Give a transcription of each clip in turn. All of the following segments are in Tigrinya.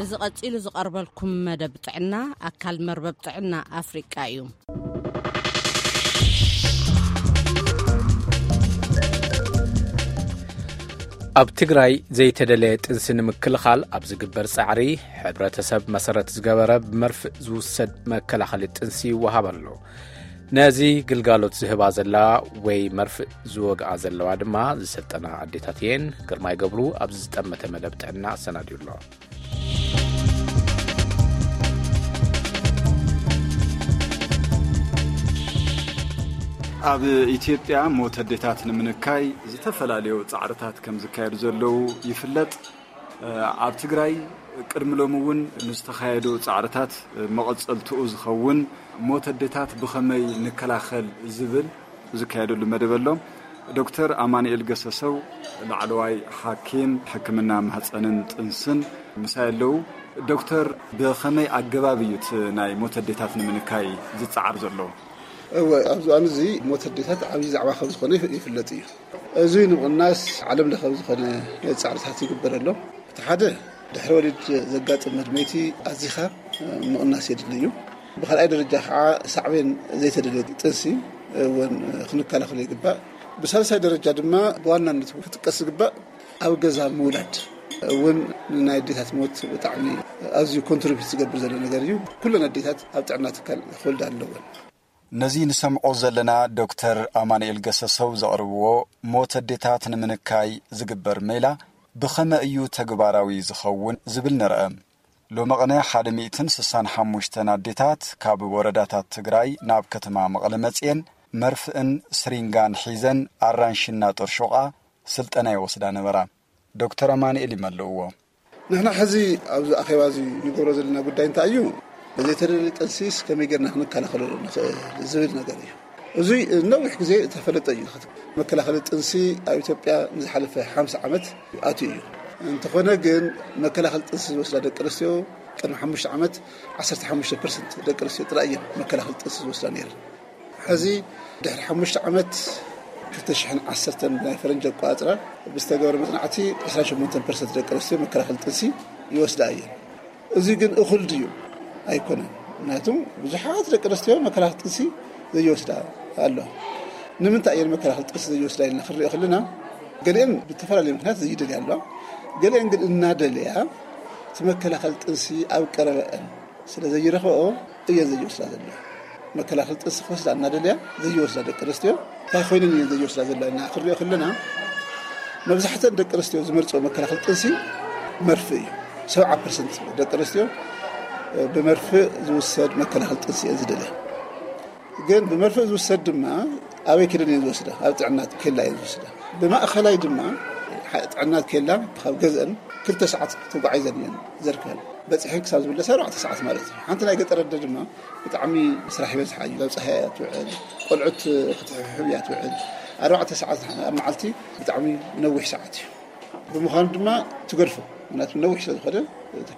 እዚ ቀጺሉ ዝቐርበልኩም መደብ ጥዕና ኣካል መርበብ ጥዕና ኣፍሪቃ እዩ። ኣብ ትግራይ ዘይተደለየ ጥንሲ ንምክልኻል ኣብ ዝግበር ጻዕሪ፣ ሕብረተሰብ መሰረት ዝገበረ ብመርፍእ ዝውሰድ መከላኸሊ ጥንሲ ይወሃብ ኣሎ። ነዚ ግልጋሎት ዝህባ ዘለዋ ወይ መርፍእ ዝወግኣ ዘለዋ ድማ ዝሰልጠና ኣዴታት እየን። ግርማይ ገብሩ ኣብዚ ዝጠመተ መደብ ጥዕና ኣሰናድዩ ኣሎ። ኣብ ኢትዮጵያ ሞት ኣዴታት ንምንካይ ዝተፈላለዩ ጻዕርታት ከም ዝካየዱ ዘለዉ ይፍለጥ። ኣብ ትግራይ ቅድሚ ሎሚ እውን ንዝተኻየዱ ጻዕርታት መቐጸልትኡ ዝኸውን ሞት ኣዴታት ብኸመይ ንከላኸል ዝብል ዝካየደሉ መደብ ኣሎ። ዶክተር ኣማኑኤል ገሰሰው ላዕለዋይ ሓኪም ሕክምና ማህፀንን ጥንስን ምሳይ ኣለዉ። ዶክተር፣ ብኸመይ ኣገባብ እዩ እቲ ናይ ሞት ኣዴታት ንምንካይ ዝጸዓር ዘሎ? እወ፣ ኣብዚ እዋን እዚ ሞት ኣዴታት ዓብዪ ዛዕባ ከም ዝኾነ ይፍ- ይፍለጥ እዩ። እዚ ንምቕናስ ዓለም ለኸ ዝኾነ ጻዕርታት ይግበር ኣሎ። እቲ ሓደ፣ ድሕሪ ወሊድ ዘጋጥም መድመይቲ ኣዚኻ ምቕናስ የድሊ እዩ። ብኻልኣይ ደረጃ ከዓ ሳዕቤን ዘይተደልየ ጥንሲ እውን ክንከላኸሎ ይግባእ። ብሳልሳይ ደረጃ ድማ ብዋናነት ክጥቀስ ዝግባእ ኣብ ገዛ ምውላድ እውን ናይ ኣዴታት ሞት ብጣዕሚ ኣዝዩ ኮንትሪቢዩት ዝገብር ዘሎ ነገር እዩ። ኩለን ኣዴታት ኣብ ጥዕና ትካል ክወልዳ ኣለወን። ነዚ ንሰምዖ ዘለና ዶክተር ኣማኑኤል ገሰሰው ዘቕርብዎ ሞት ኣዴታት ንምንካይ ዝግበር ሜላ ብኸመይ እዩ ተግባራዊ ዝኸውን ዝብል ንርአ። ሎሚ ቅነ ሓደ ሚእትን ስሳን ሓሙሽተን ኣዴታት ካብ ወረዳታት ትግራይ ናብ ከተማ መቐለ መፅየን መርፍእን ስሪንጋን ሒዘን ኣራንሽና ጦርሾቓ ስልጠና ይወስዳ ነበራ። ዶክተር ኣማኑኤል ይመልእዎ። ንሕና ሕዚ ኣብዚ ኣኼባ እዚ ንገብሮ ዘለና ጉዳይ እንታይ እዩ? ብዘይተደለየ ጥንሲስ ከመይ ጌርና ክንከላኸለሉ ንኽእል ዝብል ነገር እዩ። እዙይ ነዊሕ ግዜ ዝተፈለጠ እዩ። መከላኸሊ ጥንሲ ኣብ ኢትዮጵያ ንዝሓለፈ ሓምሳ ዓመት ኣትዩ እዩ። እንተኾነ ግን መከላኸሊ ጥንሲ ዝወስዳ ደቂ ኣንስትዮ ቅድሚ ሓሙሽተ ዓመት ዓሰርተ ሓሙሽተ ፐርሰንት ደቂ ኣንስትዮ ጥራይ እየን መከላኸሊ ጥንሲ ዝወስዳ ነይረን። ሕዚ ድሕሪ ሓሙሽተ ዓመት ክልተ ሽሕን ዓሰርተን ናይ ፈረንጂ ኣቆጻጽራ ብዝተገበረ መጽናዕቲ ዕስራን ሸሞንተን ፐርሰንት ደቂ ኣንስትዮ መከላኸሊ ጥንሲ ይወስዳ እየን። እዚ ግን እኹል ድዩ? ኣይኮነን። ምክንያቱም ብዙሓት ደቂ ኣንስትዮ መከላኸሊ ጥንሲ ዘይወስዳ ኣለዋ። ንምንታይ እየን መከላኸሊ ጥንሲ ዘይወስዳ ኢልና ክንሪኦ ከለና፣ ገሊአን ብዝተፈላለየ ምክንያት ዘይደልያ ኣለዋ። ገሊአን ግን እናደለያ እቲ መከላኸሊ ጥንሲ ኣብ ቀረበአን ስለ ዘይረኽብኦ እየን ዘይወስዳ ዘለዋ። መከላኸሊ ጥንሲ ክወስዳ እናደለያ ዘይወስዳ ደቂ ኣንስትዮ እንታይ ኮይነን እየን ዘይወስዳ ዘለዋ ኢልና ክንሪኦ ከለና፣ መብዛሕተን ደቂ ኣንስትዮ ዝመርፅኦ መከላኸሊ ጥንሲ መርፍእ እዩ። ሰብዓ ፐርሰንት ደቂ ኣንስትዮ ብመርፍእ ዝውሰድ መከላኸሊ ጥንሲ እየን ዝደልያ። ግን ብመርፍእ ዝውሰድ ድማ ኣበይ ከይደን እየን ዝወስዳ? ኣብ ጥዕና ኬላ እየን ዝወስዳ። ብማእኸላይ ድማ ጥዕና ኬላ ካብ ገዝአን ክልተ ሰዓት ተጓዒዘን እየን ዘርከበን። በፂሐን ክሳብ ዝምለሳ ኣርባዕተ ሰዓት ማለት እዩ። ሓንቲ ናይ ገጠር ኣደ ድማ ብጣዕሚ ስራሕ ይበዝሓ እዩ። ኣብ ፀሓይ እያ ትውዕል፣ ቆልዑት ክትሕብሕብ እያ ትውዕል። ኣርባዕተ ሰዓት ኣብ መዓልቲ ብጣዕሚ ነዊሕ ሰዓት እዩ። ብምዃኑ ድማ ትገድፎ። ምክንያቱ ነዊሕ ስለ ዝኾነ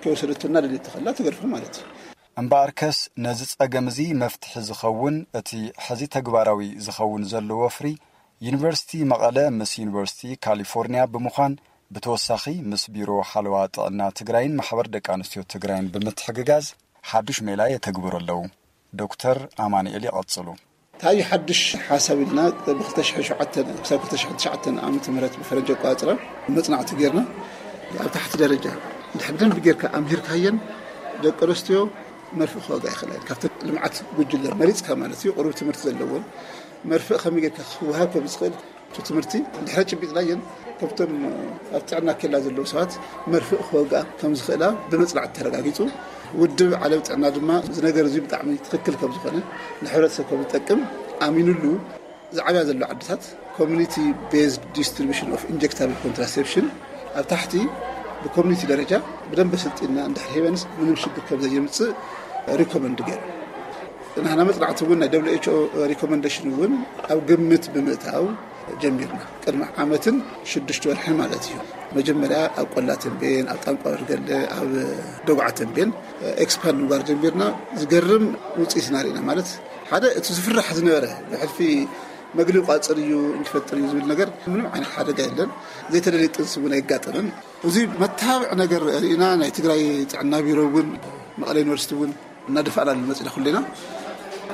ከይወሰደቶ እናደልየቶ ከላ ትገድፎ ማለት እዩ። እምበኣርከስ ነዚ ጸገም እዚ መፍትሒ ዝኸውን እቲ ሕዚ ተግባራዊ ዝኸውን ዘሎ ወፍሪ ዩኒቨርሲቲ መቐለ ምስ ዩኒቨርሲቲ ካሊፎርኒያ ብምዃን ብተወሳኺ ምስ ቢሮ ሓለዋ ጥዕና ትግራይን ማሕበር ደቂ ኣንስትዮ ትግራይን ብምትሕግጋዝ ሓዱሽ ሜላ የተግብሩ ኣለዉ። ዶክተር ኣማኑኤል ይቐጽሉ። እንታይ ሓድሽ ሓሳብ ኢልና ብ ክልተ ሽሕን ሸውዓተን ክሳብ ክልተ ሽሕን ትሽዓተን ዓመተ ምህረት ብፈረንጂ ኣቆጻጽራ መጽናዕቲ ጌርና፣ ኣብ ታሕቲ ደረጃ እንድሕር ብደንቢ ጌርካ ኣምሂርካየን ደቂ ኣንስትዮ መርፍእ ክወግኣ ይኽእላ እየን። ካብተን ልምዓት ጉጅለ መሪጽካ ማለት እዩ፣ ቁሩብ ትምህርቲ ዘለወን መርፍእ ከመይ ጌርካ ክወሃብ ከም ዝኽእል እቲ ትምህርቲ እንድሕር ጭቢጥናየን፣ ካብቶም ኣብ ጥዕና ኬላ ዘለዉ ሰባት መርፍእ ክወግኣ ከም ዝኽእላ ብመጽናዕቲ ተረጋጊጹ። ውድብ ዓለም ጥዕና ድማ እዚ ነገር እዚ ብጣዕሚ ትኽክል ከም ዝኾነ ንሕብረተሰብ ከም ዝጠቅም ኣሚኑሉ ዝዓብያ ዘሎ ዓድታት community based distribution of injectable contraception ኣብ ታሕቲ ብኮሚኒቲ ደረጃ ብደንብ ስልጢና እንድሕር ሂበንስ ምንም ሽግር ከም ዘየምጽእ ሪኮመንድ ገይሩ። ንሕና መጽናዕቲ እውን ናይ ደብሊው ኤች ኦ ሪኮመንዴሽን እውን ኣብ ግምት ብምእታው ጀሚርና። ቅድሚ ዓመትን ሽዱሽተ ወርሒ ማለት እዩ። መጀመርያ ኣብ ቆላ ተንቤን፣ ኣብ ጣንቋ በርገለ፣ ኣብ ደጉዓ ተንቤን ኤክስፓንድ ምግባር ጀሚርና። ዝገርም ውጽኢት ኢና ርኢና። ማለት ሓደ እቲ ዝፍራሕ ዝነበረ ብሕልፊ መግሊ ቋፅር እዩ፣ እንክፈጥር እዩ ዝብል ነገር ምንም ዓይነት ሓደጋ የለን። ዘይተደለየ ጥንሲ እውን ኣይጋጠምን። እዚ መተባብዒ ነገር ርኢና ናይ ትግራይ ጥዕና ቢሮ እውን፣ መቐለ ዩኒቨርሲቲ እውን እናደፋእና ንመፅና ኩልና።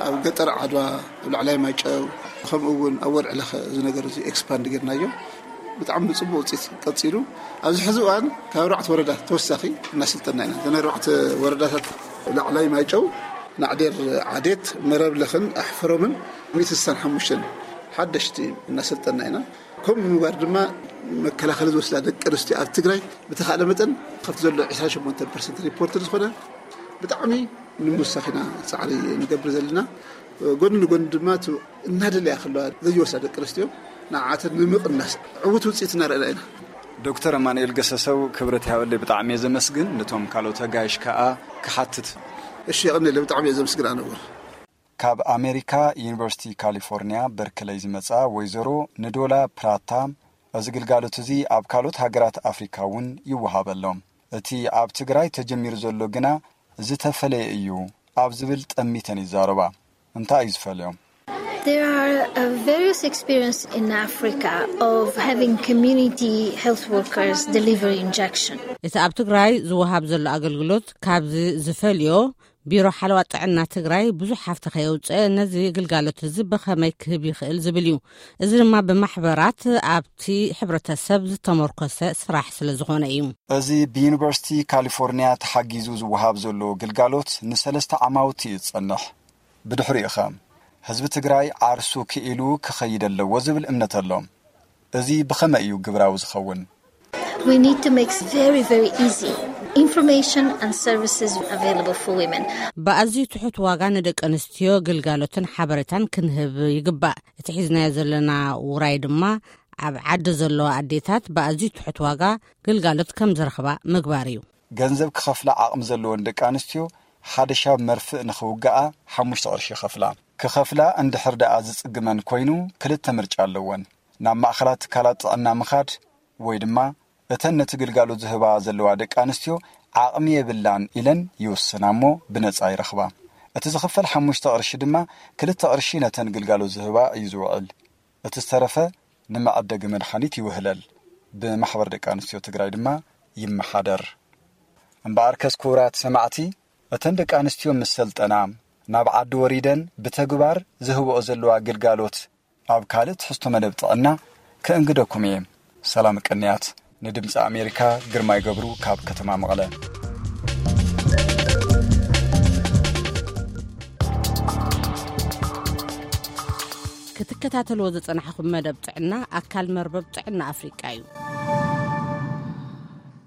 ኣብ ገጠር ዓድዋ፣ ኣብ ላዕላይ ማይጨው፣ ከምኡ እውን ኣብ ወርዒ ለኸ እዚ ነገር እዚ ኤክስፓንድ ጌርናዮ። ብጣዕሚ ብፅቡቅ ውፅኢት ቀፂሉ፣ ኣብዚ ሕዚ እዋን ካብ ኣርባዕተ ወረዳ ተወሳኺ እናሰልጠና ኢና። እዘን ኣርባዕተ ወረዳታት ላዕላይ ማይጨው፣ ናዕዴር፣ ዓዴት፣ መረብ ለኽን ኣሕፈሮምን ሚእቲ ስሳን ሓሙሽተን ሓደሽቲ እናሰልጠና ኢና። ከምኡ ምግባር ድማ መከላኸሊ ዝወስዳ ደቂ ኣንስትዮ ኣብ ትግራይ ብተኻእለ መጠን ካብቲ ዘሎ ዕስራን ሸሞንተን ፐርሰንት ሪፖርት ዝኾነ ብጣዕሚ ንምውሳኽ ኢና ፃዕሪ ንገብር ዘለና። ጎኒ ንጎኒ ድማ እቲ እናደለያ ከለዋ ዘይወስዳ ደቂ ኣንስትዮ ንዓተን ንምቕናስ ዕዉት ውፅኢት እናረኣና ኢና። ዶክተር ኣማኑኤል ገሰሰው፣ ክብረት ይሃበለይ፣ ብጣዕሚ እየ ዘመስግን። ነቶም ካልኦት ኣጋይሽ ከኣ ክሓትት። እሺ፣ የቐንየለይ፣ ብጣዕሚ እየ ዘመስግን ኣነ እውን። ካብ ኣሜሪካ ዩኒቨርሲቲ ካሊፎርኒያ በርክለይ ዝመጻ ወይዘሮ ንዶላ ፕራታ፣ እዚ ግልጋሎት እዚ ኣብ ካልኦት ሃገራት ኣፍሪካ እውን ይወሃበሎም። እቲ ኣብ ትግራይ ተጀሚሩ ዘሎ ግና ዝተፈለየ እዩ ኣብ ዝብል ጠሚተን ይዛረባ። እንታይ እዩ ዝፈልዮም? There are uh, various experiences in Africa of having community health workers deliver injection. እቲ ኣብ ትግራይ ዝወሃብ ዘሎ ኣገልግሎት ካብዚ ዝፈልዮ፣ ቢሮ ሓለዋ ጥዕና ትግራይ ብዙሕ ሃፍቲ ከየውፅአ ነዚ ግልጋሎት እዚ ብኸመይ ክህብ ይኽእል ዝብል እዩ። እዚ ድማ ብማሕበራት ኣብቲ ሕብረተሰብ ዝተመርኮሰ ስራሕ ስለ ዝኾነ እዩ። እዚ ብዩኒቨርሲቲ ካሊፎርኒያ ተሓጊዙ ዝወሃብ ዘሎ ግልጋሎት ንሰለስተ ዓማውቲ እዩ ዝጸንሕ። ብድሕሪኡ ኸ ህዝቢ ትግራይ ዓርሱ ክኢሉ ክኸይድ ኣለዎ ዝብል እምነት ኣሎ። እዚ ብኸመይ እዩ ግብራዊ ዝኸውን? We need to make it very, very easy information and services available for women. ብኣዝዩ ትሑት ዋጋ ንደቂ ኣንስትዮ ግልጋሎትን ሓበሬታን ክንህብ ይግባእ። እቲ ሒዝናዮ ዘለና ውራይ ድማ ኣብ ዓዲ ዘለዋ ኣዴታት ብኣዝዩ ትሑት ዋጋ ግልጋሎት ከም ዝረኽባ ምግባር እዩ። ገንዘብ ክኸፍላ ዓቕሚ ዘለወን ደቂ ኣንስትዮ ሓደ ሻብ መርፍእ ንኽውግኣ ሓሙሽተ ቅርሺ ይኸፍላ። ክኸፍላ እንድሕር ደኣ ዝጽግመን ኮይኑ ክልተ ምርጫ ኣለወን። ናብ ማእኸላት ትካላት ጥዕና ምኻድ ወይ ድማ እተን ነቲ ግልጋሎት ዝህባ ዘለዋ ደቂ ኣንስትዮ ዓቕሚ የብላን ኢለን ይውስና እሞ ብነጻ ይረኽባ። እቲ ዝኽፈል ሓሙሽተ ቅርሺ ድማ ክልተ ቅርሺ ነተን ግልጋሎት ዝህባ እዩ ዝውዕል። እቲ ዝተረፈ ንመዐደጊ መድሓኒት ይውህለል። ብማሕበር ደቂ ኣንስትዮ ትግራይ ድማ ይመሓደር። እምበኣርከስ ክቡራት ሰማዕቲ፣ እተን ደቂ ኣንስትዮ ምስ ሰልጠና ናብ ዓዲ ወሪደን ብተግባር ዝህብኦ ዘለዋ ግልጋሎት ኣብ ካልእ ትሕዝቶ መደብ ጥዕና ከእንግደኩም እየ። ሰላም ቅንያት። ንድምፂ ኣሜሪካ ግርማይ ገብሩ ካብ ከተማ መቐለ። ክትከታተልዎ ዝጸናሕኹም መደብ ጥዕና ኣካል መርበብ ጥዕና ኣፍሪቃ እዩ።